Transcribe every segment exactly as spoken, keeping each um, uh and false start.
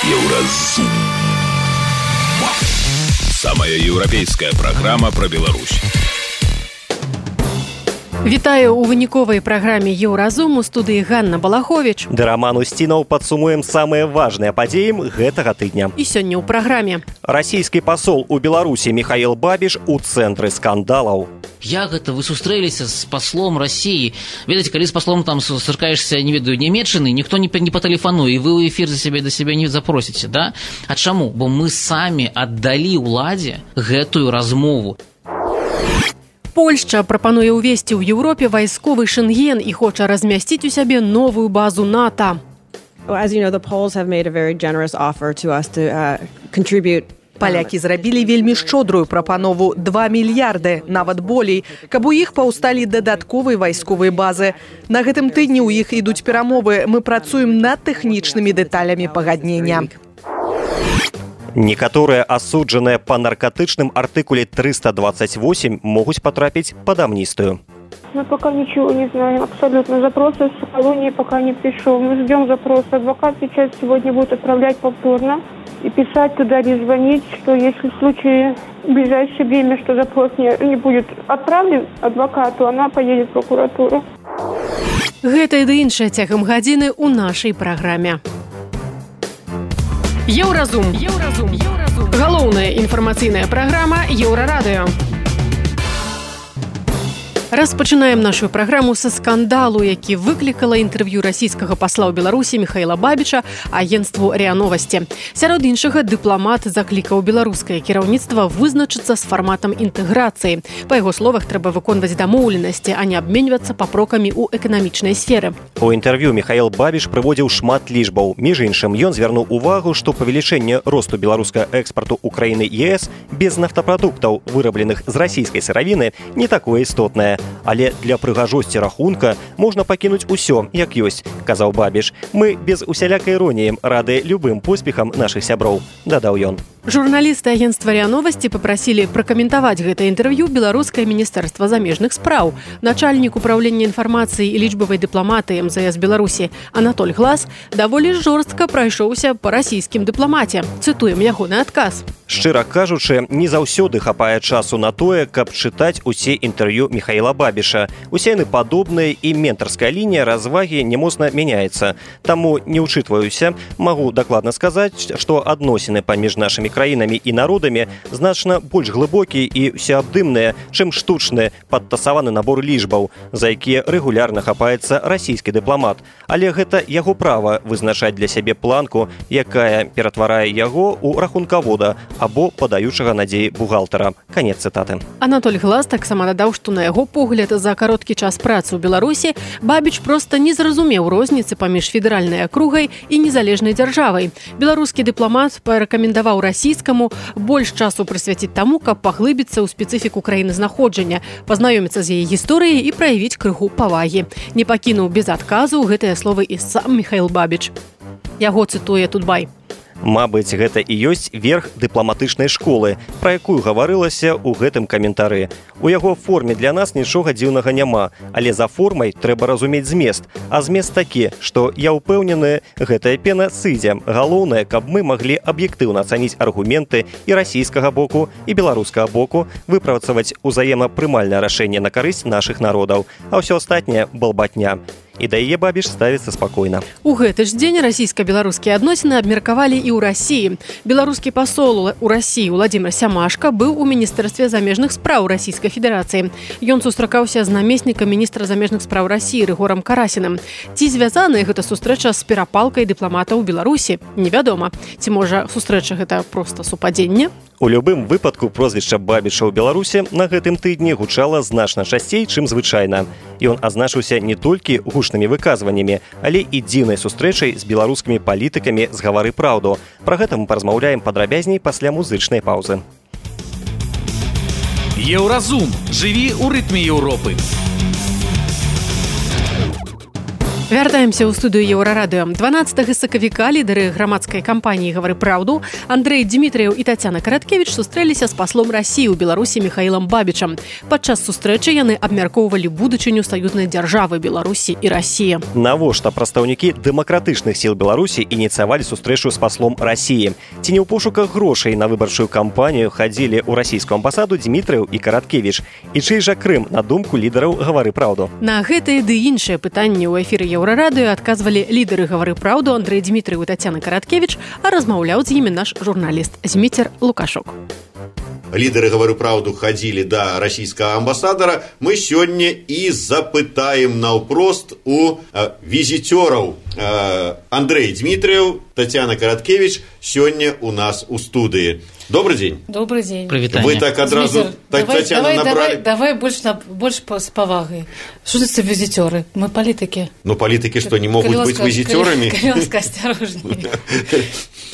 Еўразум. Самая еўрапейская праграма пра Беларусь. Вітаю ў выніковай праграме Еўразум, у студыі Ганна Балахович. Да Роман Устінаў падсумуем самыя важныя падзеі гэтага тыдня. І сёння ў праграме. Расійскі пасол у Беларусі Михаил Бабиш у цэнтры скандалаў. Як гэта вы сустрэліся з паслом России? Ведаеце, калі з паслом там сустракаешся, не ведаю, Нямецчыны, ніхто не, не патэлефануе, і вы ў эфір за сябе да сябе не запросіце, да? А чаму? Бо мы самі аддалі ўладзе гэтую размову. Польшча прапануе ўвесці ў Еўропе вайсковы шэнген і хоча размясціць у сябе новую базу НАТО. As you know, the Poles have made a very generous offer to us to uh, contribute. Палякі зрабілі вельмі шчодрую прапанову два мільярды, нават болей, каб у іх паўсталі дадатковыя вайсковыя базы. На гэтым тыдні ў іх ідуць перамовы. Мы працуем над тэхнічнымі дэталямі пагаднення. Некаторыя асуджаныя па наркотычным артыкуле триста двадцать восемь могуць потрапіць под амнистию. Мы пока ничего не знаем. Абсолютно. Запрос из колонии пока не пришел. Мы ждем запроса. Адвокат сейчас сегодня будет отправлять повторно и писать туда или звонить, что если в случае в ближайшее время, что запрос не, не будет отправлен адвокату, она поедет в прокуратуру. Гэта і да іншае цягам гадзіны ў нашай праграме. Еўразум. Еўразум. Еўразум. Галоўная інфармацыйная праграма Еўрарадыё. Распачынаем нашу праграму са скандалу, які выклікала інтэрв'ю расійскага пасла ў Беларусі Михаила Бабича агенцтву РИА Новости. Сярод іншага, дыпламат заклікаў беларускае кіраўніцтва вызначыцца з фарматам інтэграцыі. Па яго словах, трэба выконваць дамоўленасці, а не абменьвацца папрокамі ў эканамічнай сферы. У інтэрв'ю Михаил Бабиш прыводзіў шмат лічбаў. Між іншым, ён звярнуў увагу, што павелічэнне росту беларускага экспарту ў краіны ЕС без нафтапрадуктаў, вырабленых з расійскай сыравіны, не такое істотнае. Але для прыгажосці рахунка можна пакінуць усё, як ёсць, казаў Бабиш. Мы без усялякай іроніі рады любым поспехам нашых сяброў, дадаў ён. Журналісты агенцтва РИА Новости папрасілі пракаментаваць гэта інтэрв'ю беларускае міністэрства замежных спраў. Начальнік управлення інфармацыі і лічбавай дыпламатыі эм зэ эс Беларусі Анатоль Глас даволі жорстка прайшоўся па расійскім дыпламаце. Цытуем ягоны адказ. Шчыра кажучы, не заўсёды хапае часу на тое, каб чытаць усе інтэрв'ю Михаила Бабиша. Усе яны падобныя, і ментарская лінія развагі не моцна мяняецца. Таму не ўчытваюся, магу дакладна сказаць, што адносіны паміж нашымі краінамі і народамі значна больш глыбокія і ўсеабдымныя, чым штучны падтасаваны набор лічбаў, за якія рэгулярна хапаецца расійскі дыпламат. Але гэта яго права вызначаць для сябе планку, якая ператварае яго ў рахункавода або падаючага надзеі бухгалтара. Канец цытаты. Анатоль Глас таксама дадаў, што на яго погляд за кароткі час працы ў Беларусі Бабич проста не зразумеў розніцы паміж федэральнай акругай і незалежнай дзяржавай. Беларускі дыпламат парэкамендаваў расійскаму больш часу прысвяціць таму, каб паглыбіцца ў спецыфіку краіны знаходжання, пазнаёміцца з яе гісторыяй і праявіць крыху павагі. Не пакінуў без адказу гэтыя словы і сам Михаил Бабич. Яго цытуе Тутбай. Мабыць, гэта і ёсць верх дыпламатычнай школы, пра якую гаварылася ў гэтым каментары. У яго форме для нас нічога дзіўнага няма, але за формай трэба разумець змест. А змест такі, што я ўпэўнены, гэтая пена сыдзе. Галоўнае, каб мы маглі аб'ектыўна ацаніць аргументы і расійскага боку, і беларускага боку, выпрацаваць узаемапрымальнае рашэнне на карысць нашых народаў, а ўсё астатняе балбатня. І да яе Бабиш ставіцца спакойна. У гэты ж дзень расійска-беларускія адносіны абмеркавалі і ў Расіі. Беларускі пасол у Расіі Владзімир Сямашка быў у міністэрстве замежных спраў Расійскай Федэрацыі. Ён сустракаўся з намеснікам міністра замежных спраў Расіі Рыгорам Карасіным. Ці звязаная гэта сустрэча з перапалкай дыпламата ў Беларусі? Невядома. Ці можа сустрэча гэта проста супадзенне? У любым выпадку прозвішча Бабиша ў Беларусі на гэтым тыдні гучала значна часцей, чым звычайна. Ён азначыўся не толькі гучнымі выказваннямі, але і дзіўнай сустрэчай з беларускімі палітыкамі з «Гавары праўду». Пра гэта мы паразмаўляем падрабязней пасля музычнай паўзы. Еўразум. Жыві ў рытме Еўропы. Вяртаемся ў студыю Еўрарадыё. дванаццатага сакавіка лідары грамадскай кампаніі «Гавары праўду» Андрэй Дзімітрыеў і Тацяна Караткевіч сустрэліся з паслом Расіі ў Беларусі Міхаілам Бабічам. Падчас сустрэчы яны абмяркоўвалі будучыню саюзнай дзяржавы Беларусі і Расіі. Навошта прадстаўнікі дэмакратычных сіл Беларусі ініцыявалі сустрэчу з паслом Расіі? Ці не ў пошуках грошай на выбарчую кампанію хадзілі ў расійскую амбасаду Дзімітрыеў і Караткевіч? І чый жа Крым, на думку лідараў «Гавары праўду»? На гэтыя ды іншыя пытанні ў эфіры Еўрарадыё адказвалі лідары «Гавары праўду» Андрэй Дзімітрыеў і Тацяна Караткевіч, а размаўляў з імі наш журналіст Зміцер Лукашок. Лідары «Гавары праўду» хадзілі да расійскага амбасадара. Мы сёння і запытаем наўпрост у э, візітёраў. Э, Андрэй Дзімітрыеў, Тацяна Караткевіч сёння у нас у студыі. Добрый день. Добрый день. Привитание. Вы так одразу так, давай, Татьяну давай, набрали. Давай, давай больше, на, больше с повагой. Что это за визитеры? Мы политики. Ну, политики что, не могут быть визитерами? Калёнска, осторожнее.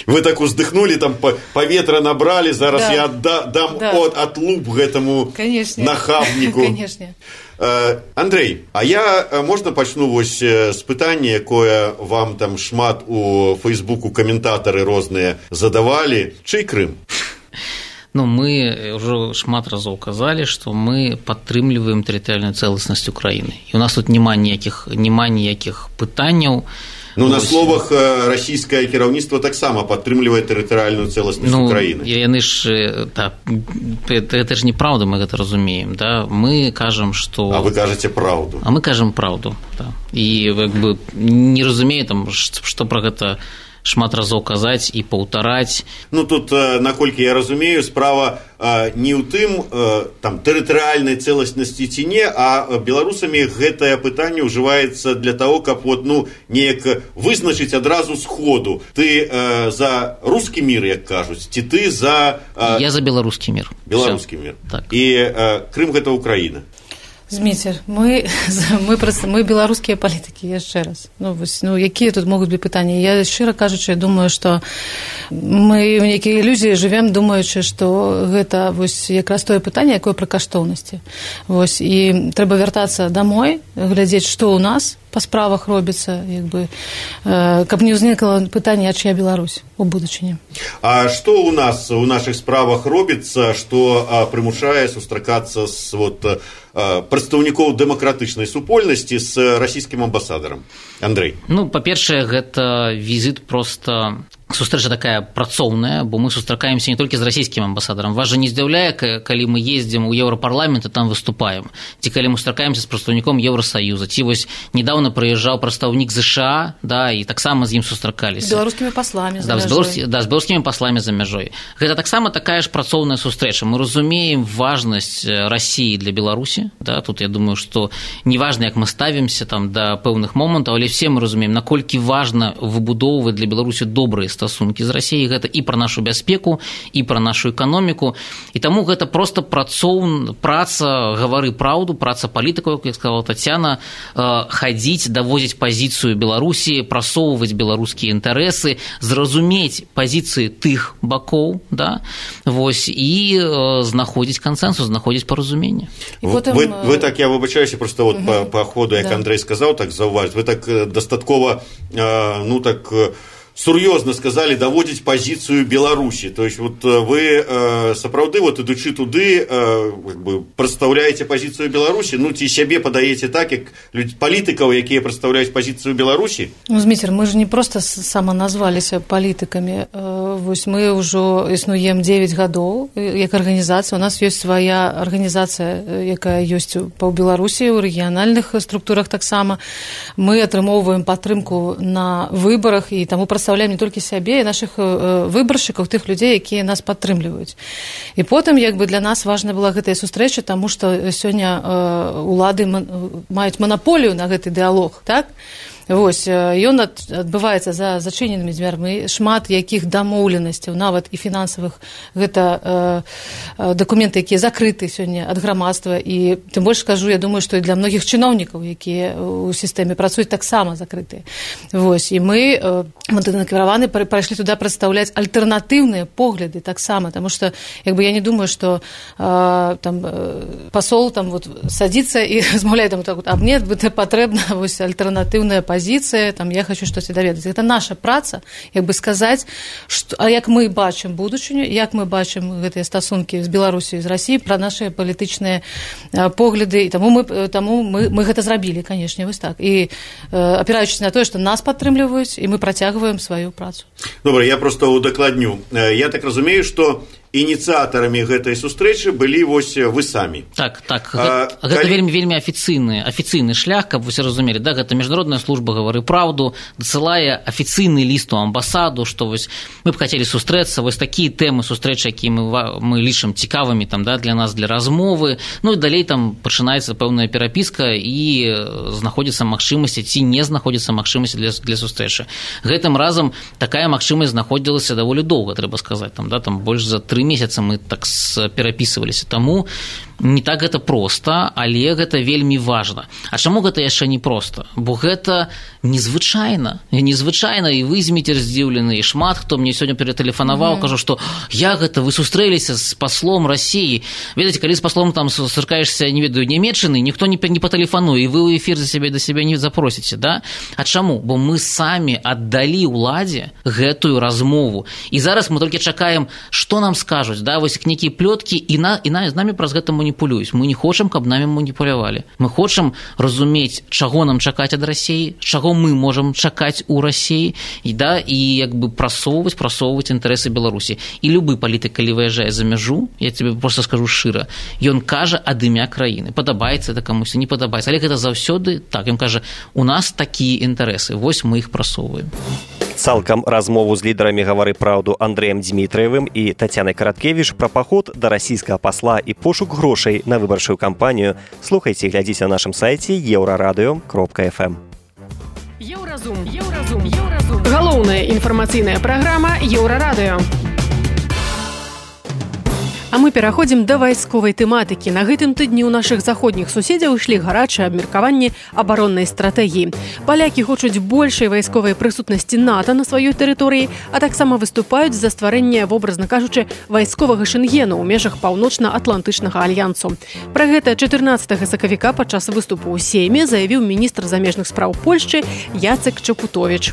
Вы так уздыхнули, там поветра набрали, зараз да. я отда, дам да. от, отлуп этому Конечно. нахабнику. Конечно. Андрей, а я, можна пачну вось з пытання, якое вам там шмат у Фейсбуку каментатары розныя задавалі. Чый Крым? Ну, мы уже шмат разоў казалі, што мы падтрымліваем тэрытарыяльную цэласнасць Украіны. І у нас тут няма ніякіх, няма ніякіх пытанняў. Ну, на словах расійскае кіраўніцтва таксама падтрымлівае тэрытарыяльную цэласнасць ну, Украіны. Яны ж, так, это ж неправда, мы гэта разумеем, да? Мы кажам, што... А вы кажаце праўду. А мы кажам праўду, да. І, як бы, не разумею, там, што пра гэта шмат разоў казаць і паўтараць. Ну, тут, наколькі я разумею, справа не ў тым, там, тэрытарыяльнай цэласнасці ці не, а беларусамі гэтае пытанне ўжываецца для таго, каб вот, ну, неяк вызначыць адразу сходу. Ты э, за рускі мір, як кажуць, ці ты за... Э, я за беларускі мір. Беларускі мір. Так. І э, Крым гэта Украіна. Зміцер, мы, мы, просто, мы беларускія палітыкі, яшчэ раз. Ну, вось, ну, якія тут могуць быць пытанні? Я, шчыра кажучы, думаю, што мы ў нейкай ілюзіі жывем, думаючы, што гэта вось, якраз тое пытанне, якое пра каштоўнасці. Вось, і трэба вяртацца дамой, глядзець, што ў нас па справах робіцца, як бы, э, каб не ўзнікла пытанне, а чыя Беларусь у будучыні. А што ў нас у нашых справах робіцца, што а, прымушае сустракацца з вот, а, прадстаўнікоў дэмакратычнай супольнасці з расійскім амбасадарам? Андрэй. Ну, па-першае, гэта візіт проста... Сустрэча такая працоўная, бо мы сустракаемся не толькі з расійскім амбасадарам. Вас жа не здзіўляе, калі мы ездзім у Еўрапарламент і там выступаем, ці калі мы сустракаемся з прадстаўніком Еўрасаюза, ці вось недавно прыязджаў прадстаўнік ЗША, да, і таксама з ім сустракаліся. З беларускімі пасламі за да, мяжой. З беларус... Да, з беларускімі пасламі за мяжой. Гэта таксама такая ж працоўная сустрэча. Мы разумеем важнасць Расіі для Беларусі, да, тут я думаю, што неважна, як мы ставімся там да пэўных момантаў, але все мы разумеем, наколькі важна выбудоўваць для Беларусі добрыя стасункі з Расіяй, гэта і пра нашу бяспеку, і пра нашу эканоміку, і таму гэта проста працоў... праца «Гавары праўду», праца палітыкаў, як сказала Тацяна, хадзіць, давозіць пазіцыю Беларусі, прасоўваць беларускія інтарэсы, зразумець пазіцыі тых бакоў, да, вось, і знаходзіць кансэнсус, знаходзіць паразуменне. Потым... Вы, вы так, я выбачаюся, просто вот угу. по, по ходу, як да. Андрей сказаў, так заўважыць, вы так дастаткова, ну так... сур'ёзна сказали даводзіць пазіцыю Беларусі. То есть вот вы э, сапраўды вот ідучы туды э, как бы прадстаўляеце пазіцыю Беларусі, ну ці сябе падаеце так, як палітыкаў, якія прадстаўляюць пазіцыю Беларусі? Ну, Зміцер, мы ж не проста саманазваліся палітыкамі. Э, вось мы ўжо існуем дзевяць гадоў як арганізацыя. У нас ёсць свая арганізацыя, якая ёсць па Беларусі, у рэгіянальных структурах таксама. Мы атрымоўваем падтрымку на выбарах і таму прадстаўляем не толькі сябе і нашых выбаршчыкаў, тых людзей, якія нас падтрымліваюць. І потым, як бы, для нас важна была гэтая сустрэча, таму што сёння улады маюць манаполію на гэты дыялог, так? Вось, ён адбываецца за зачыненымі дзвярмі, шмат якіх дамоўленасцяў, нават і фінансавых, гэта э, дакументы, якія закрыты сёння ад грамадства, і тым больш скажу, я думаю, што і для многіх чыноўнікаў, якія ў сістэме працуюць, таксама закрытыя. Вось, і мы, э, мы накіраваны, прайшлі туды прадстаўляць альтэрнатыўныя погляды таксама, таму што, як бы, я не думаю, што э, там пасол там вот садзіцца і размаўляе там так вот, а мне патрэбна вось альтэрнатыўная пазіцыя пазіцыя, там я хочу штосьці даведацца. Гэта наша праца, як бы сказаць, што, а як мы бачым будучыню, як мы бачым гэтыя стасункі з Беларусі, з Расіі, пра нашыя палітычныя погляды, і таму мы, таму мы, мы гэта зрабілі, канешне, вось так. І апіраючыся на тое, што нас падтрымліваюць, і мы працягваем сваю працу. Добра, я просто удакладню. Я так разумею, што ініцыятарамі гэтай сустрэчы былі вось вы самі. Так, так. А, гэта калі... вельмі, вельмі афіцыйны, афіцыйны шлях, каб вы все разумелі. Да, гэта міжнародная служба «Гавары праўду» дасылае афіцыйны ліст у амбасаду, што вось мы б хацелі сустрэцца, вось такія тэмы сустрэчы, якія мы, мы лічым цікавымі там, да, для нас, для размовы. Ну і далей там пачынаецца пэўная перапіска і знаходзіцца магчымасць, ці не знаходзіцца магчымасць для, для сустрэчы. Гэтым разам такая магчымасць знаходзілася даволі доўга, трэба сказаць, там, да, там больш за тры месяца мы так перапісваліся, таму не так гэта проста, але гэта вельмі важна. А чаму гэта яшчэ не проста? Бо гэта незвычайна, незвычайна, і вы зміцер здзіўлены, і шмат хто мне сёння ператэлефанаваў, mm-hmm. кажу, што я гэта, вы сустрэліся з паслом Расіі. Ведаеце, калі з паслом там сустракаешся, не ведаю, Нямецчыны, ніхто не, не патэлефануе, і вы ў эфір за сябе да сябе не запросіце, да? А чаму? Бо мы самі аддалі ўладзе гэтую размову. І зараз мы толькі чакаем, што нам скажуць, да, вось нейкія плёткі, і, на, і на, з намі праз гэта маніпулююць. Мы не хочам, каб намі маніпулявалі. Мы хочам разумець, чаго нам чакаць ад Расіі, чаго мы можам чакаць у Расіі, і, да, і як бы прасоўваць, прасоўваць інтарэсы Беларусі. І любы палітык, калі выязджае за мяжу, я тебе проста скажу шчыра, ён кажа ад імя краіны. Падабаецца это камусь, не падабаецца. Але гэта заўсёды так. Ён кажа, у нас такія інтарэсы, вось мы іх прасоўваем. Цалкам размову з лідарамі «Гавары праўду» Андрэем Дзмітраевым і Тацянай Караткевіч пра паход да расійскага пасла і пошук грошай на выбарчую кампанію слухайце і глядзіце на нашым сайце еўрарадыё кропка эф эм. Еўразум, Еўразум, Еўразум. Галоўная інфармацыйная праграма «Еўрарадыё». А мы пераходзім да вайсковай тэматыкі. На гэтым тыдні ў нашых заходніх суседзяў ішлі гарачыя абмеркаванні абароннай стратэгіі. Палякі хочуць большай вайсковай прысутнасці НАТО на сваёй тэрыторыі, а таксама выступаюць за стварэнне, вобразна кажучы, вайсковага шэнгену ў межах паўночна-атлантычнага альянсу. Пра гэта чатырнаццатага сакавіка падчас выступу ў Сейме заявіў міністр замежных спраў Польшчы Jacek Czaputowicz.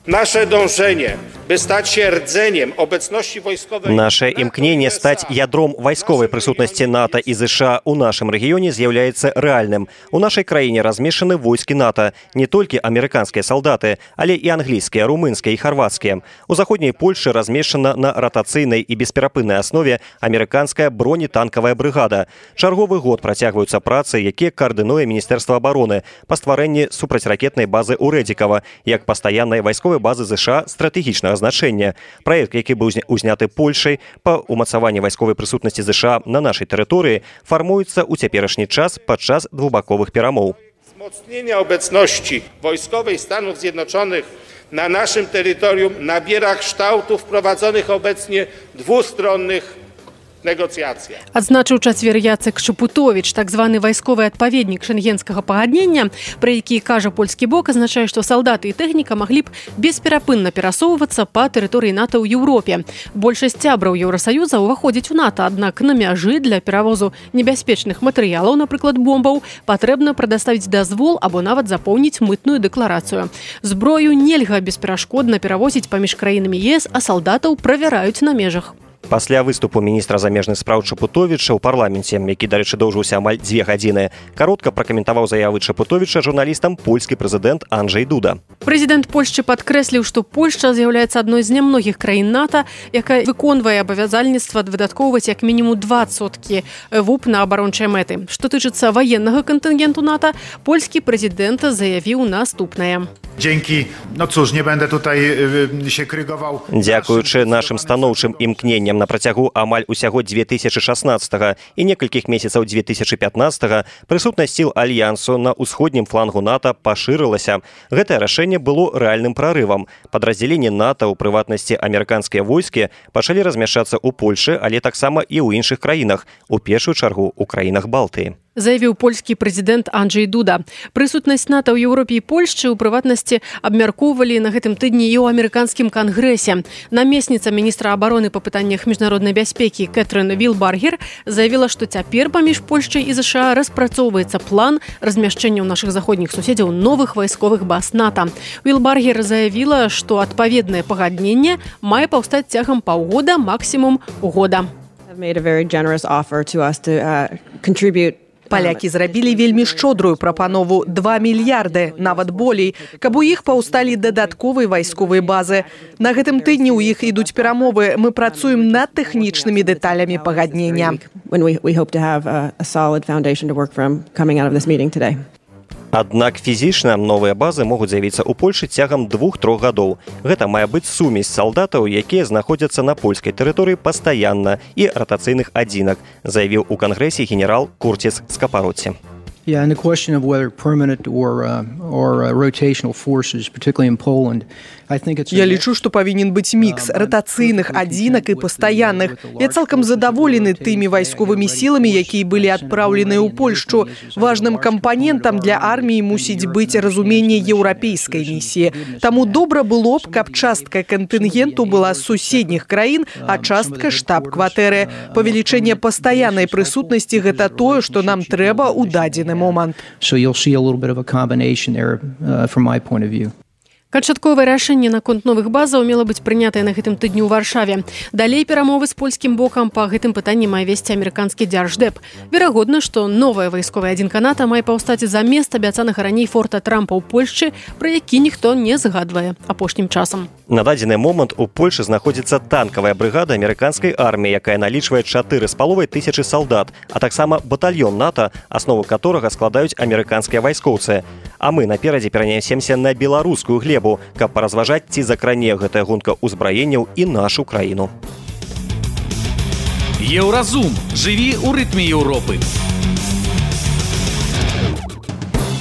Nasze dążenie, by stać się rdzeniem obecności wojskowej... Наше імкненне стаць ядром вайсковай прысутнасці НАТО і ЗША ў нашым рэгіёне з'яўляецца рэальным. У нашай краіне размешчаны войскі НАТО, не толькі амерыканскія салдаты, але і англійскія, румынскія і харвацкія. У заходняй Польшы размешчана на ратацыйнай і бесперапыннай аснове амерыканская бронетанкавая брыгада. Чарговы год працягваюцца працы, якія каардынуе Міністэрства абароны па стварэнні супрацьракетнай базы ў Рэдзікава, як пастаяннай вайсковай базы ЗША стратэгічнага значэння. Праект, які быў узняты Польшай па ўмацаванні вайсковай прысутнасці ЗША на нашай тэрыторыі, фармуецца ў цяперашні час падчас двухбаковых перамоў. Wzmocnienie obecności wojskowej Stanów Zjednoczonych na naszym terytorium nabiera kształtów prowadzonych obecnie dwustronnych negocjacjach. Адзначыў чацвер Jacek Czaputowicz, так званы вайсковы адпаведнік шэнгенскага пагаднення, пра які кажа польскі бок, азначае, што салдаты і тэхніка маглі б бесперапынна перасоўвацца па тэрыторыі НАТО ў Еўропе. Большасць сябраў Еўрасаюза ўваходзіць у НАТО, аднак на мяжы для перавозу небяспечных матэрыялаў, напрыклад, бомбаў, патрэбна прадаставіць дазвол або нават запоўніць мытную дэкларацыю. Зброю нельга бесперашкодна перавозіць паміж краінамі ЕС, а салдатаў правяраюць на межах. Пасля выступу міністра замежных спраў Чапутовіча ў парламенце, які, дарэчы, доўжыўся амаль дзве гадзіны, каротка пракаментаваў заявы Чапутовіча журналістам польскі прэзідэнт Анджэй Дуда. Прэзідэнт Польшчы падкрэсліў, што Польшча з'яўляецца адной з нямногіх краін НАТО, якая выконвае абавязальніцтва выдаткоўваць як мінімум два адсоткі ВУП на абарончыя мэты. Што тычыцца ваеннага кантынгенту НАТО, польскі прэзідэнт заявіў наступнае. Dzięki, no cóż, nie będę tutaj się krygował. Дзякуючы нашым станоўчым імкненням на працягу амаль усяго дзве тысячы шаснаццатага і некалькіх месяцаў дзве тысячы пятнаццатага прысутнасць сіл альянсу на ўсходнім флангу НАТО пашырылася. Гэтае рашэнне было рэальным прарывам. Падраздзяленні НАТО, у прыватнасці амерыканскія войскі, пачалі размяшчацца ў Польшы, але таксама і ў іншых краінах, у першую чаргу ў краінах Балтыі. заявіў польскі прэзідэнт Анджэй Дуда. Прысутнасць НАТО ў Еўропе і Польшчы ў прыватнасці абмяркоўвалі на гэтым тыдні і ў амерыканскім кангрэсе. Намесніца міністра абароны па пытаннях міжнароднай бяспекі Кэтрын Вілбаргер заявіла, што цяпер паміж Польшчай і ЗША распрацоўваецца план размяшчэння ў нашых заходніх суседзяў новых вайсковых баз НАТО. Вілбаргер заявіла, што адпаведнае пагадненне мае паўстаць цягам паўгода, максімум года. Made a very generous offer to us to uh, contribute. Палякі зрабілі вельмі шчодрую прапанову два мільярды, нават болей, каб у іх паўсталі дадатковыя вайсковыя базы. На гэтым тыдні ў іх ідуць перамовы. Мы працуем над тэхнічнымі дэталямі пагаднення. Аднак фізічна новыя базы могуць з'явіцца ў Польшы цягам двух-трох гадоў. Гэта мае быць сумесь салдатаў, якія знаходзяцца на польскай тэрыторыі пастаянна і ратацыйных адзінак, заявіў у кангрэсе генерал Курціс Скапароці. Yeah, and the question of whether permanent or uh, or uh, rotational forces, particularly in Poland, I think it's. Я лічу, што павінен быць мікс ратацыйных адзінак і пастаянных. Я цалкам задаволены тымі вайсковымі сіламі, якія былі адпраўленыя ў Польшчу. Важным кампанентам для арміі мусіць быць разуменне еўрапейскай місіі. Таму добра было б, каб частка кантынгенту была з суседніх краін, а частка штаб-кватэры. Павелічэнне пастаяннай прысутнасці гэта тое, што нам трэба ў дадзены момант. So you'll see a little bit of a combination there uh, from my point of view. Канчатковае рашэнне наконт новых базаў мела быць прынятае на гэтым тыдні ў Варшаве. Далей перамовы з польскім бокам па гэтым пытанні мае весці амерыканскі дзярждэп. Верагодна, што новая вайсковая адзінка НАТО мае паўстаць замест абяцанага раней форта Трампа ў Польшчы, пра які ніхто не згадвае апошнім часам. На дадзены момант у Польшы знаходзіцца танкавая брыгада амерыканскай арміі, якая налічвае чатыры з паловай тысячы салдат, а таксама батальён НАТО, аснову которага складаюць амерыканскія вайскоўцы. А мы наперадзе перанясемся на беларускую глебу, каб паразважаць, ці закране гэтая гонка ўзбраенняў і нашу краіну. Еўразум. Жыві ў рытме Еўропы.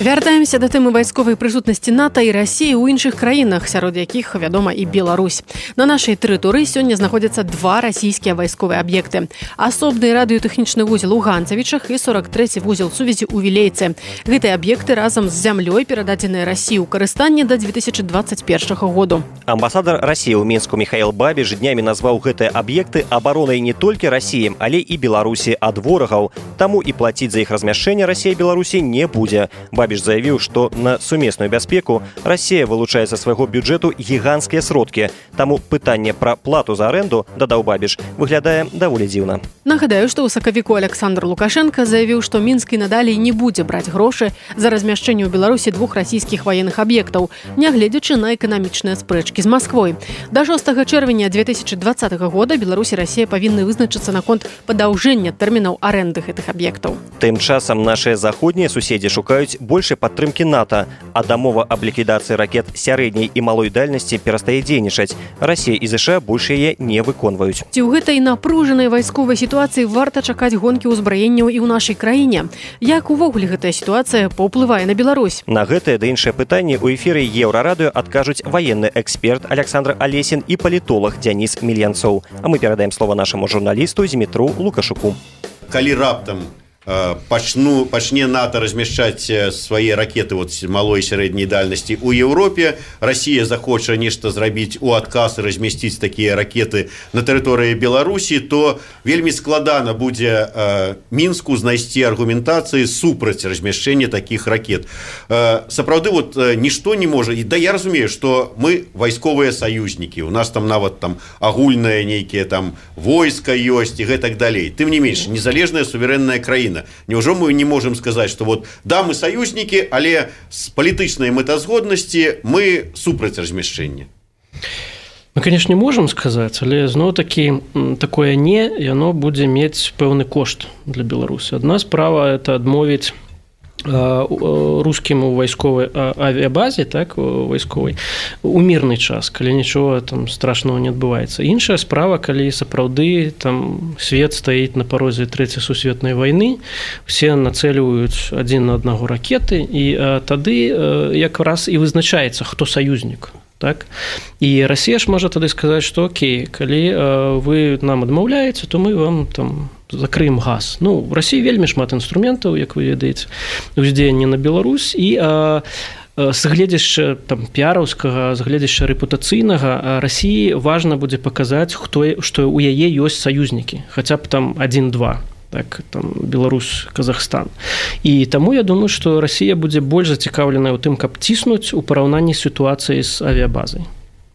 Вяртаемся да тэмы вайсковай прысутнасці НАТО і Расіі ў іншых краінах, сярод якіх, вядома, і Беларусь. На нашай тэрыторыі сёння знаходзяцца два расійскія вайсковыя аб'екты. Асобны радыётэхнічны вузел у Ганцавічах і сорак трэці вузел сувязі ў Вілейцы. Гэтыя аб'екты разам з зямлёй перададзеныя Расіі ў карыстанне да дзве тысячы дваццаць першага году. Амбасадар Расіі ў Мінску Міхаіл Бабіш днямі назваў гэтыя аб'екты абаронай не толькі Расіі, але і Беларусі ад ворагаў. Таму і плаціць за іх размяшчэнне Расія Беларусі не будзе. Бабіш заявіў, што на сумесную бяспеку Расія вылучае са свайго бюджэту гіганцкія сродкі. Таму пытанне пра плату за арэнду, дадаў Бабіш, выглядае даволі дзіўна. Нагадаю, што ў сакавіку Александр Лукашенко заявіў, што Мінск і надалей не будзе браць грошы за размяшчэнне ў Беларусі двух расійскіх ваенных аб'ектаў, нягледзячы на эканамічныя спрэчкі з Масквой. Да шостага чэрвеня дзве тысячы дваццатага года Беларусь і Расія павінны вызначыцца наконт падаўжэння тэрмінаў арэнды гэтых аб'ектаў. Тым часам нашыя заходнія суседзі шукаюць большай падтрымкі НАТО, а дамова аб ліквідацыі ракет сярэдняй і малой дальнасці перастае дзейнічаць. Расія і ЗША больш яе не выконваюць. Ці ў гэтай напружанай вайсковай сітуацыі варта чакаць гонкі ўзбраенняў і ў нашай краіне? Як увогуле гэтая сітуацыя паўплывае на Беларусь? На гэтае ды іншыя пытанні ў эфіры Еўрарадыё адкажуць ваенны эксперт Александр Алесін і палітолог Дзяніс Мільянцоў. А мы перадаем слова нашаму журналісту Змітру Лукашуку. Калі раптам Пачну, пачне НАТО размяшчаць свае ракеты вот, малой і сярэдняй дальнасці ў Еўропе. Расія захоча нешта зрабіць у адказ і размясціць такія ракеты на тэрыторыі Беларусі, то вельмі складана будзе э, Мінску знайсці аргументацыі супраць размяшчэння такіх ракет. Э, сапраўды вот, э, нішто не можа. І, да, я разумею, што мы вайсковыя саюзнікі. У нас там нават там агульнае нейкія там войска ёсць і гэтак далей. Тым не менш, незалежная суверэнная краіна. Неужо мы не можем сказать, что вот да, мы союзники, але с палітычнай мэтазгоднасці мы супраць размяшчэння? Мы, конечно, не можем сказаць, але зноў-такі такое не, яно будзе мець пэўны кошт для Беларусі. Адна справа это адмовіць рускім у вайсковай авіабазе, так, вайсковай, у мірны час, калі нічога там страшного не адбываецца. Іншая справа, калі сапраўды там свет стаіць на парозе трэцяй сусветнай вайны, все нацэльваюць адзін на аднаго ракеты, і а, тады а, якраз і вызначаецца, хто саюзнік. так і Расія ж можа тады сказаць, што окей, калі вы нам адмаўляеце, то мы вам там закрыем газ. Ну, в Расіі вельмі шмат інструментаў, як вы ведаеце, уздзеяння на Беларусь, і з гледзяшча там піараўскага, з гледзяшча рэпутацыйнага Расіі важна будзе паказаць, хто, што ў яе ёсць саюзнікі, хаця б там адзін-два. Так, там, Беларусь, Казахстан. І таму я думаю, што Расія будзе больш зацікаўленая ў тым, каб ціснуць у параўнанні з сітуацыяй з авіябазай.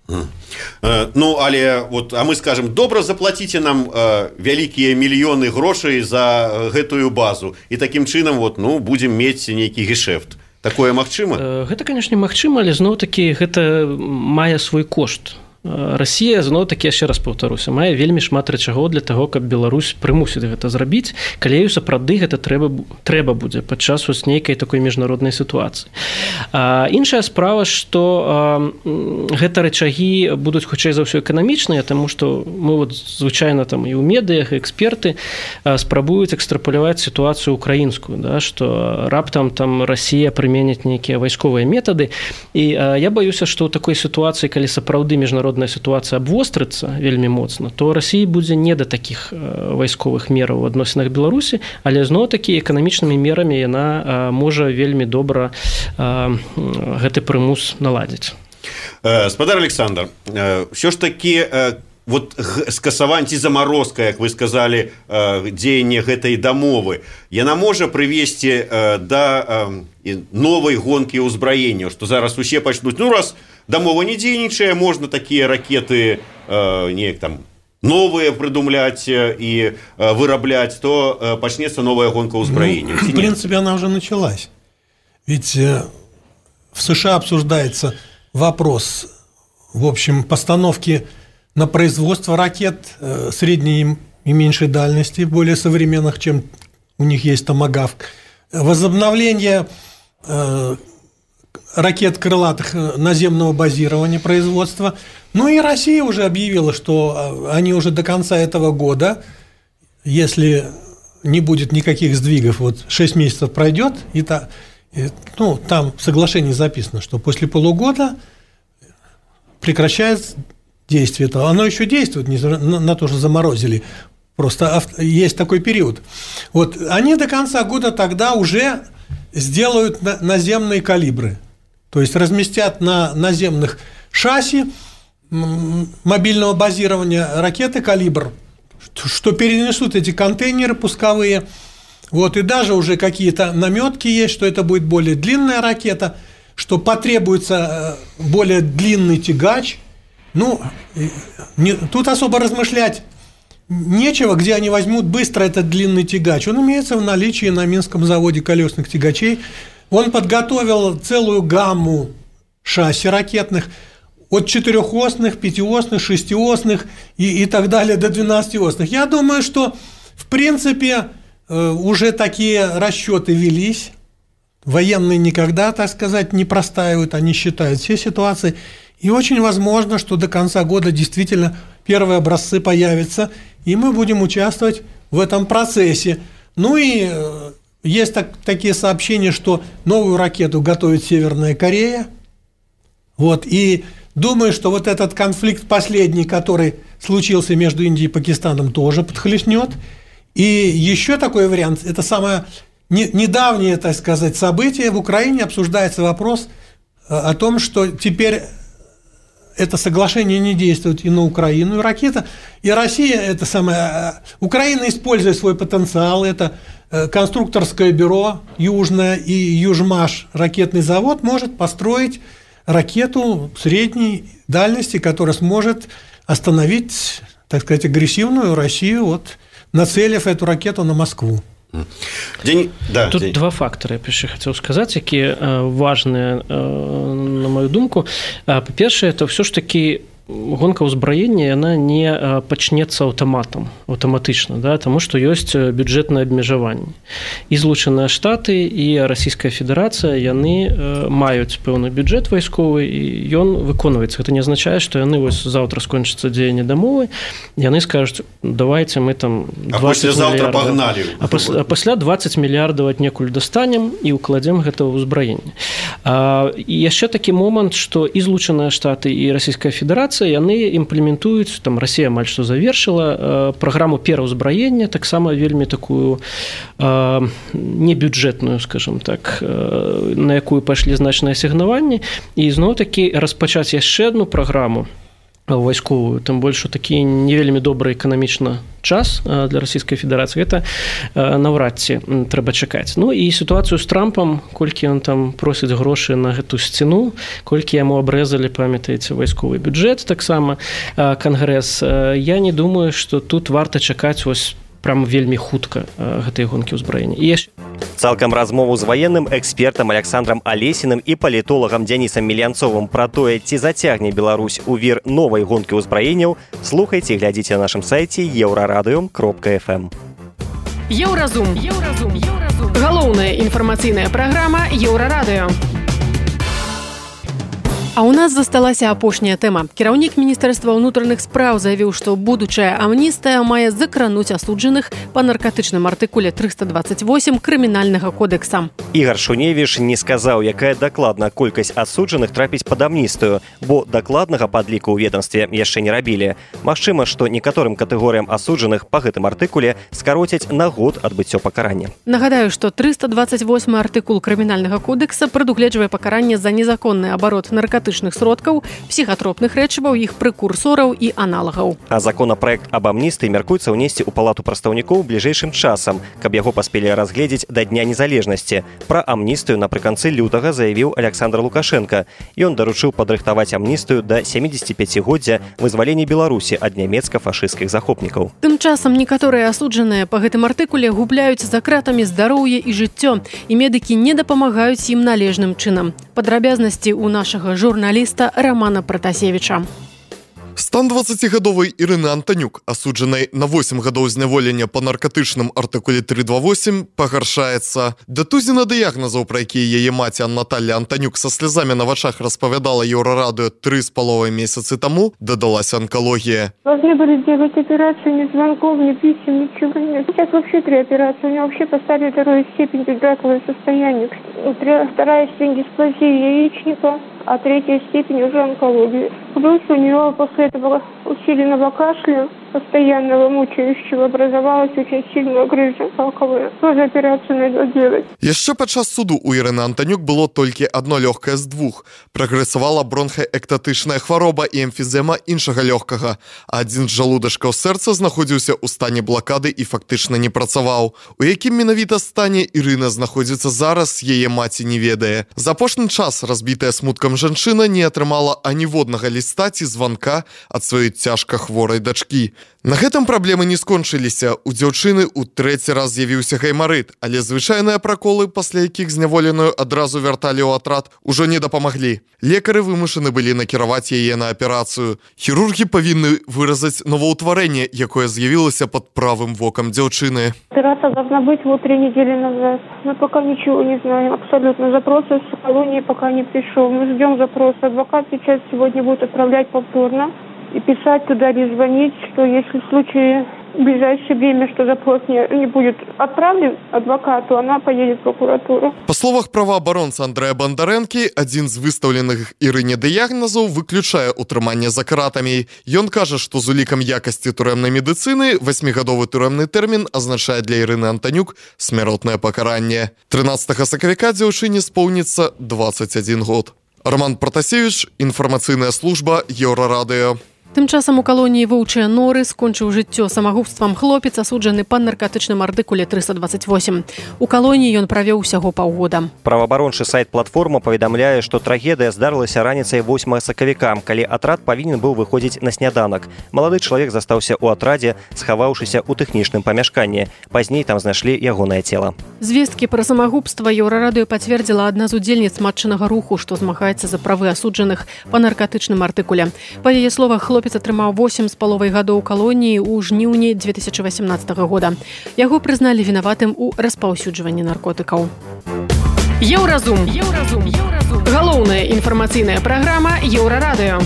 Ну, але вот, а мы скажем, добра заплаціце нам э, вялікія мільёны грошай за гэтую базу, і такім чынам вот, ну, будзем мець нейкі гешэфт. Такое магчыма? Гэта, канешне, магчыма, але зноў-такі гэта мае свой кошт. Расія, зноў-такі, яшчэ раз паўтаруся, мае вельмі шмат рэчагоў для таго, каб Беларусь прымусіць гэта зрабіць, калі ёй сапраўды гэта трэба, трэба будзе падчас вось нейкай такой міжнароднай сітуацыі. А, іншая справа, што а, гэта рэчагі будуць хутчэй за ўсё эканамічныя, таму што мы вот, звычайна там і ў медыях, і эксперты а, спрабуюць экстрапаляваць сітуацыю украінскую, да, што раптам там Расія прыменяць нейкія вайсковыя метады, і а, я баюся, што ў такой сітуацыі, калі сапраўды міжнародная сітуацыя абвострыцца вельмі моцна, то Расіі будзе не да такіх вайсковых мераў у адносінах Беларусі, але зноў-такі эканамічнымі мерамі яна можа вельмі добра гэты прымус наладзіць. Спадар Александр, ўсё ж такі вот скасаванне ці замарозка, як вы сказалі, дзеянне гэтай дамовы, яна можа прывесці да новай гонкі ўзбраення, што зараз усе пачнуць, ну раз дамова не дзейнічае, можна такія ракеты э, неяк там новые придумлять и э, вырабляць, то э, пачнецца новая гонка ўзбраення. Ну, в принципе, она уже началась. Ведь э, в США обсуждается вопрос, в общем, постановки на производство ракет э, средней и меньшей дальности, более современных, чем у них есть томагавк. Возобновление э, ракет крылатых наземного базирования производства. Ну и Россия уже объявила, что они уже до конца этого года, если не будет никаких сдвигов, вот шесть месяцев пройдет, и та, и, ну, там в соглашении записано, что после полугода прекращается действие этого. Оно еще действует, не на, на то, что заморозили. Просто есть такой период. Вот они до конца года тогда уже сделают наземные калибры. То есть разместят на наземных шасси мобильного базирования ракеты «Калибр», что перенесут эти контейнеры пусковые. Вот, и даже уже какие-то наметки есть, что это будет более длинная ракета, что потребуется более длинный тягач. Ну, не, тут особо размышлять нечего, где они возьмут быстро этот длинный тягач. Он имеется в наличии на Минском заводе колесных тягачей. Он подготовил целую гамму шасси ракетных, от четырехосных, пятиосных, шестиосных и, и так далее до двенадцатиосных. Я думаю, что, в принципе, уже такие расчеты велись. Военные никогда, так сказать, не простаивают, они считают все ситуации. И очень возможно, что до конца года действительно первые образцы появятся, и мы будем участвовать в этом процессе. Ну и есть так, такие сообщения, что новую ракету готовит Северная Корея. Вот, и думаю, что вот этот конфликт последний, который случился между Индией и Пакистаном, тоже подхлестнет. И еще такой вариант, это самое недавнее, так сказать, событие. В Украине обсуждается вопрос о том, что теперь это соглашение не действует и на Украину, и ракета. И Россия, это самое, Украина, используя свой потенциал, это конструкторское бюро Южное и Южмаш, ракетный завод, может построить ракету средней дальности, которая сможет остановить, так сказать, агрессивную Россию, вот, нацелив эту ракету на Москву. День... Да, Тут день. два фактары, я яшчэ хацеў сказаць, якія важныя, на мою думку. Па-першае, это ўсё ж такі гонка ўзбраення яна не пачнецца аўтаматам аўтаматычна, да, таму што ёсць бюджэтнае абмежаванне. І Злучаныя Штаты і Расійская Федэрацыя яны маюць пэўны бюджэт вайсковы і ён выконваецца. Гэта не азначае, што яны вось заўтра скончыцца дзеянне дамовы, яны скажуць, давайте мы там двадцать мільярдаў, пагналі. А, пас, а пасля двадцать мільярдаў аднекуль дастанем і ўкладзем гэта ўзбраенне. І яшчэ такі момант, што і Злучаныя Штаты і Расійская Федэрацыя яны імплементуюць, там Расія амаль што завершыла праграму пераўзбраення, таксама вельмі такую э, небюджэтную, скажем так, э, на якую пайшлі значныя асігнаванні, і зноў-такі распачаць яшчэ адну праграму вайсковую, тым больш такі не вельмі добры эканамічна час для Расійскай Федэрацыі, гэта наўрад ці трэба чакаць. Ну і сітуацыю з Трампам, колькі ён там просіць грошы на гэту сцяну, колькі яму абрэзалі, памятаеце, вайсковы бюджэт, таксама Кангрэс, я не думаю, што тут варта чакаць вось прям вельмі хутка гэтай гонкі ўзбраення. І яшчэ Цалкам размову з ваенным экспертам Александром Алесіным і палітолагам Дзянісам Мільянцовым пра тое, ці зацягне Беларусь у вір новай гонкі ўзбраенняў, слухайце і глядзіце на нашым сайце еўрарадыё кропка эф эм. Еўразум. Еўразум. Еўразум. Галоўная інфармацыйная праграма Еўрарадыё. А у нас засталася апошняя тэма. Кіраўнік Міністэрства ўнутраных спраў заявіў, што будучая амністыя мае закрануць асуджаных па наркатычным артыкуле трыста дваццаць восем крымінальнага кодекса. Ігар Шуневіч не сказаў, якая дакладна колькасць асуджаных трапіць пад амністыю, бо дакладнага падліку ў ведомстве яшчэ не рабілі. Магчыма, што некаторым катэгорыям асуджаных па гэтым артыкуле скароцяць на год адбыццё пакарання. Нагадаю, што трыста двацаць восьмы артыкул крымінальнага кодекса прадугледжвае пакаранне за незаконны абарот наркатычных сродкаў, псіхатропных рэчываў, іх прэкурсораў і аналагаў. А законапраект аб амністыі мяркуецца ўнесці ў палату прадстаўнікоў бліжэйшым часам, каб яго паспелі разгледзець да Дня незалежнасці. Пра амністыю напрыканцы лютага заявіў Александр Лукашенко. Ён даручыў падрыхтаваць амністыю да сямідзесяціпяцігоддзя вызвалення Беларусі ад нямецка-фашысцкіх захопнікаў. Тым часам некаторыя асуджаныя па гэтым артыкуле губляюць за кратамі здароўе і жыццё, і медыкі не дапамагаюць ім належным чынам. Падрабязнасці ў нашага журналіста Романа Пратасевіча. Стан дваццацігадовай Ірыны Антанюк, асуджанай на восем гадоў зняволення па наркатычным артыкуле трыста двадцять восемь, пагаршаецца. Да тузіна дыягназаў, пра якія яе маці Наталья Антанюк са слязамі на вачах распавядала Еўрарадыё тры з паловай месяцы таму, дадалася онкологія. Должны были делать операцию, ни звонков, ни писем, ничего нет. Сейчас вообще три операции. У него вообще поставили вторую степень раковое состояние. Вторая степень дисплазии яичника, а третья степень уже онкологии. Плюс у нее после этого усиленного кашля, постоянного мучающего, образовалась очень сильная грыжа раковая. Тоже операцию надо делать. Яшчэ падчас суду у Ірыны Антанюк было толькі адно лёгкае з двух. Прагрэсавала бронхаэктатычная хвароба і эмфізема іншага лёгкага. Адзін з жалудачкаў сэрца знаходзіўся ў стане блакады і фактычна не працаваў. У якім менавіта стане Ірына знаходзіцца зараз, яе маці не ведае. За апошні час разбітая смуткам жанчына не атрымала аніводнага ліста ці званка ад сваёй цяжка хворай дачкі. На гэтым праблемы не скончыліся. У дзяўчыны ў трэці раз з'явіўся гаймарыт, але звычайныя праколы, пасля якіх зняволеную адразу вярталі ў атрад, ужо не дапамаглі. Лекары вымушаны былі накіраваць яе на аперацыю. Хірургі павінны выразаць новаўтварэнне, якое з'явілася пад правым вокам дзяўчыны. Операция должна быть вот три недели назад. Мы пока ничего не знаем. Абсолютно. Запрос из колонии пока не пришел. Мы ждем запроса. Адвокат сейчас сегодня будет отправлять повторно и писать туда или звонить, что если в случае в ближайшее время, что запрос не, не будет отправлен адвокату, она поедет в прокуратуру. Па словах праваабаронца Андрэя Бандарэнкі, адзін з выстаўленых Ірыне дыягназаў выключае утрыманне за кратамі. Ён кажа, што з улікам якасці турэмнай медыцыны васьмігадовы турэмны тэрмін азначае для Ірыны Антанюк смяротнае пакаранне. трынаццатага сакавіка дзяўчыне споўніцца дваццаць адзін год. Роман Пратасевіч, інфармацыйная служба Еўрарадыё. Тым часам у калоніі воўчыя норы скончыў жыццё самагубствам хлопец, асуджаны па наркатычным артыкуле трыста двадцать восемь. У калоніі ён правёў усяго паўгода. Праваабарончы сайт платформа паведамляе, што трагедыя здарылася раніцай восьмага сакавіка, калі атрад павінен быў выходзіць на сняданак. Малады чалавек застаўся ў атрадзе, схаваўшыся ў тэхнічным памяшканні. Пазней там знайшлі ягонае цела. Звесткі пра самагубства Еўрарадыё пацвердзіла адна з удзельніц матчынага руху, што змагаецца за правы асуджаных па наркатычным артыкуле. Па яе словах, хлопец атрымаў восемь з паловай гадоў калоніі ў жніўні дзве тысячы васямнаццатага года. Яго прызналі вінаватым у распаўсюджванні наркотыкаў. Еўразум. Еўразум. Еўразум. Галоўная інфармацыйная праграма Еўрарадыё.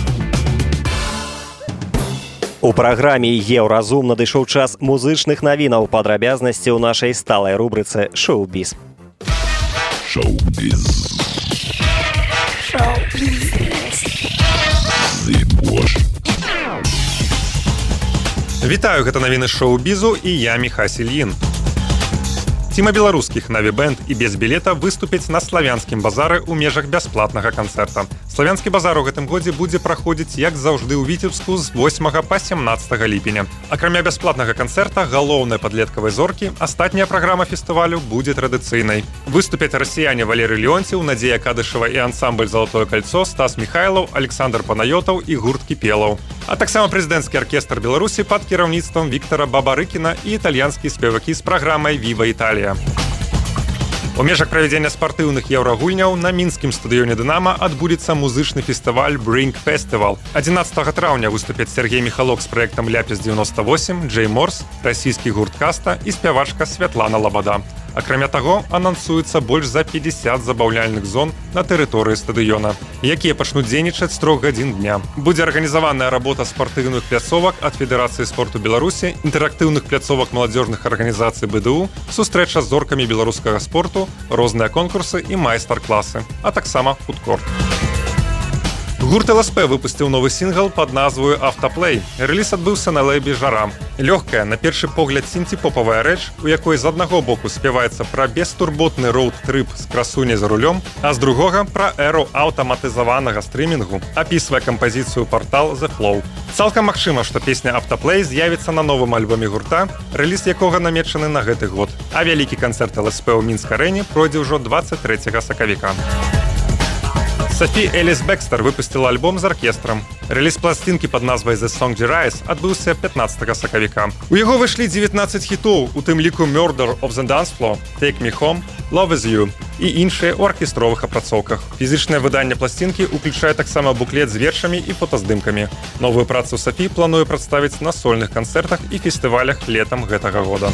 У праграме «Еўразум» надышоў час музычных навінаў, падрабязнасці ў нашай сталай рубрыцы «Шоу-біз». Шоу-біз. Шоу-біз. Вітаю, гэта навіны шоу-бізу і я Міхась Ільін. Ціма беларускіх «Наві-бэнд» і без білета выступяць на славянскім базары ў межах бясплатнага канцэрта. Славянскі базар у гэтым годзе будзе праходзіць, як заўжды, ў Віцебску з восьмага па сямнаццатага ліпеня. Акрамя бясплатнага канцэрта, галоўнай падлеткавай зоркі, астатняя праграма фестывалю будзе традыцыйнай. Выступяць расіяне Валерый Леонтьев, Надзея Кадышева і ансамбль «Золотое кольцо», Стас Михайлов, Александр Панайотаў і гурт Кіпелаў. А таксама прэзідэнцкі аркестр Беларусі пад кіраўніцтвам Віктара Бабарыкіна і італьянскія спевакі з праграмай «Віва Італія». У межах правядзення спартыўных еўрагульняў на мінскім стадыёне «Дынама» адбудзецца музычны фестываль «Brink Festival». адзінаццатага траўня выступяць Сергей Михалок з праектам «Ляпіс девяносто восемь», Джей Морс, расійскі гурт «Каста» і спявачка Святлана Лабада. Акрамя таго, анансуецца больш за пятьдесят забаўляльных зон на тэрыторыі стадыёна, якія пачнуць дзейнічаць з трох гадзін дня. Будзе арганізаваная работа спартыўных пляцовак ад Федэрацыі спорту Беларусі, інтэрактыўных пляцовак маладзёжных арганізацый бэ дэ у, сустрэча з зоркамі беларускага спорту, розныя конкурсы і майстар-класы, а таксама фудкорт. Гурт эл эс пэ выпусціў новы сінгл пад назваю «Автоплей». Рэліз адбыўся на лэйбе «Жара». Лёгкая, на першы погляд сінці-попавая рэч, у якой з аднаго боку спяваецца пра бестурботны роуд-трып з красуняй за рулём, а з другога пра эру аўтаматызаванага стрымінгу, апісвае кампазіцыю партал The Flow. Цалкам магчыма, што песня «Автоплей» з'явіцца на новым альбоме гурта, рэліз якога намечаны на гэты год. А вялікі канцэрт эл эс пэ ў Мінск-арэне пройдзе ўжо двадцать трэцяга сакавіка. Софі Эліс Бекстер выпустила альбом з аркестрам. Рэліз пластинкі пад назвай «The Song Rise» адбыўся пятнаццатага сакавіка. У яго выйшлі дзевятнаццаць хітоў, у тым ліку «Murder of the Dance Floor», «Take Me Home», «Love Is You» і іншыя ў аркестровых апрацоўках. Фізічнае выданне пластинкі ўключае таксама буклет з вершамі і фотаздымкамі. Новую працу Софі плануе прадставіць на сольных канцэртах і фестывалях летам гэтага года.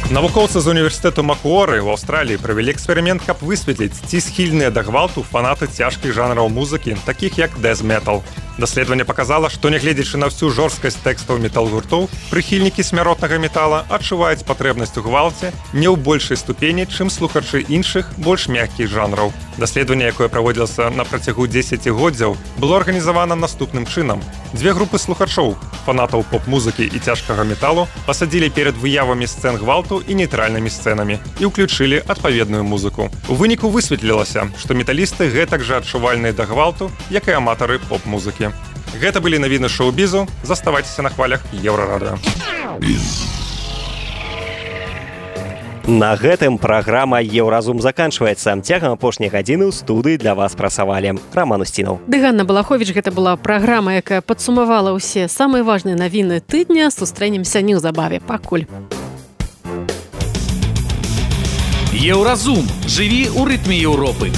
Навукоўцы з універсітэту Макуоры ў Аўстраліі правялі эксперымент, каб высветліць, ці схільныя да гвалту фанаты цяжкіх жанраў музыкі, такіх як дэз-метал. Даследаванне паказала, што нягледзячы на всю жорсткасць тэкстаў метал-гуртоў, прыхільнікі смяротнага метала адчуваюць патрэбнасць у гвалце не ў большай ступені, чым слухачы іншых, больш мяккіх жанраў. Даследаванне, якое праводзілася на працягу дзесяцігоддзяў, было арганізавана наступным чынам. Дзве групы слухачоў, фанатаў поп-музыкі і цяжкага металу, пасадзілі перад выявамі сцэн гвалту і нейтральнымі сцэнамі і ўключылі адпаведную музыку. У выніку высветлілася, што металісты гэтак жа адчувальныя да гвалту, як і аматары поп-музыкі. Гэта былі навіны шоу-бізу. Заставайцеся на хвалях Еўрарадыё. На гэтым праграма «Еўразум» заканчваецца. Цягам апошняй гадзіны ў студыі для вас працавалі Роман Устінаў. Ды Ганна Балаховіч, гэта была праграма, якая падсумавала ўсе самыя важныя навіны тыдня. Сустрэнемся неўзабаве. Пакуль. Еўразум. Жыві ў рытме Еўропы.